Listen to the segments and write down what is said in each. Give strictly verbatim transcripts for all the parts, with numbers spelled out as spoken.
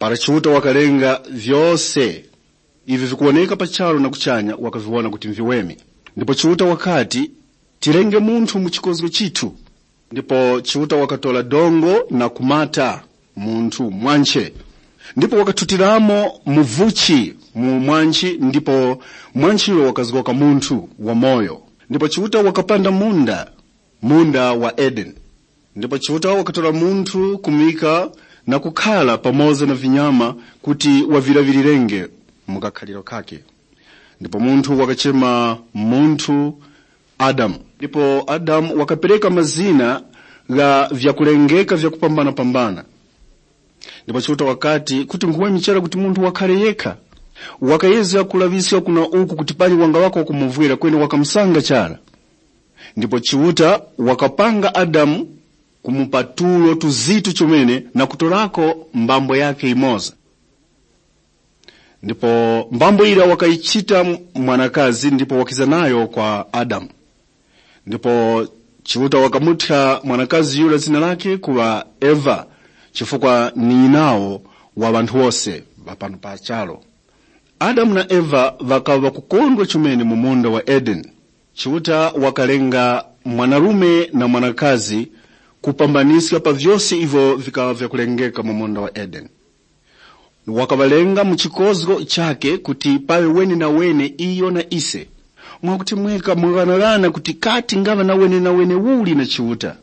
Para Chiuta wakalenga vyose ivyo vikuwoneka pa charu na kuchanya, wakaviwona kuti nviweme. Ndipo Chiuta wakati, "Tirenge munthu mu chikozgo chithu." Ndipo Chiuta wakatora dongo na kumata munthu mwanche, ndipo wakathutiramo muvuchi mu mwanchi, ndipo mwanchiro wakazgoka munthu wamoyo. Ndipo Chiuta wakapanda munda, munda wa Edeni. Ndipo Chiuta wakatora munthu kumika na kukhara pamoza na vinyama kuti wavilaŵirirenge mu kakhaliro kake. Ndipo munthu wakachema munthu Adamu. Ndipo Adamu wakapereka mazina gha vyakulengeka vyakupambana-pambana. Ndipo Chiuta wakati, kuti nkhuweme chara kuti munthu wakhare yekha. Wakayezga kulaŵiska kuna uku kuti panyi wangaŵako wakumuvwera, kweni wakamusanga chara. Ndipo Chiuta wakapanga Adamu kumupa tulo tuzitu chomene na kutorako mbambo yakhe yimoza. Ndipo mbambo yira wakayichita mwanakazi ndipo wakiza nayo kwa Adamu. Ndipo Chiuta wakamuthya mwanakazi yura zina lakhe kuŵa Eva, chifukwa ni nyinawo wa ŵanthu wose ŵa pano pa charu. Adamu na Eva ŵakaŵa ŵakukondwa chomene mu munda wa Edeni. Chiuta wakalenga mwanarume na mwanakazi kupambaniska pa vyose ivyo vikaŵa vyakulengeka mu munda wa Edeni. Wakaŵalenga mu chikozgo chakhe kuti paŵe wenenawene iyo na ise. Mwakuti mweka mung'anaghana kuti kati ngaŵa na wenenawene uli na Chiuta?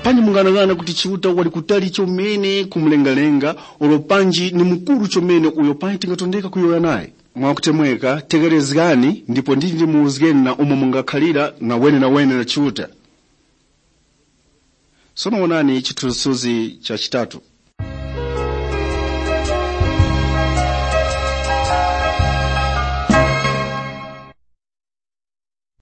Panyi mung'anaghana kuti Chiuta wali kutali chomene kumulengalenga, ulo panji ni mukuru chomene uyo panyi tingatondeka kuyowoya naye? Mwakutemweka, tegherezgani ndipo nditi ndimuwuzgeni na umo mungakhalira na wenenawene na Chiuta. Sono wonani chithunzithunzi cha chitatu.